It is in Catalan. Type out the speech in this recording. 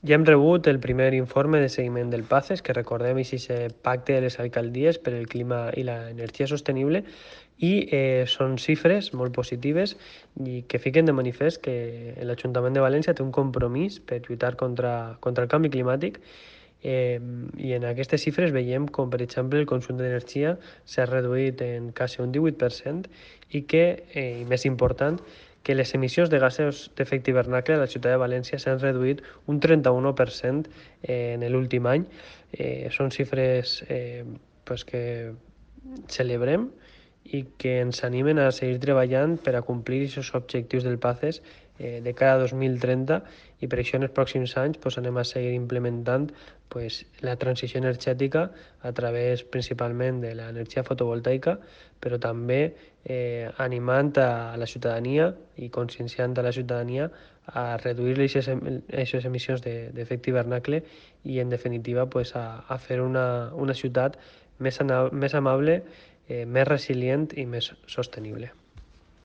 Ja hem rebut el primer informe de seguiment del PACES, que recordem és aquest pacte de les alcaldies per el clima i l'energia sostenible, i són xifres molt positives i que fiquen de manifest que l'Ajuntament de València té un compromís per lluitar contra el canvi climàtic. I en aquestes xifres veiem com, per exemple, el consum d'energia s'ha reduït en quasi un 18% i que, i més important, que les emissions de gasos d'efecte hivernacle a la ciutat de València s'han reduït un 31% en l'últim any. Són xifres pues que celebrem i que ens animen a seguir treballant per a complir aquests objectius del PACES de cara a 2030, i per això en els pròxims anys pues, anem a seguir implementant pues, la transició energètica a través principalment de l'energia fotovoltaica, però també animant a la ciutadania i conscienciant a la ciutadania a reduir aquestes emissions d'efecte hivernacle i, en definitiva, pues, a fer una ciutat més amable, més resilient i més sostenible.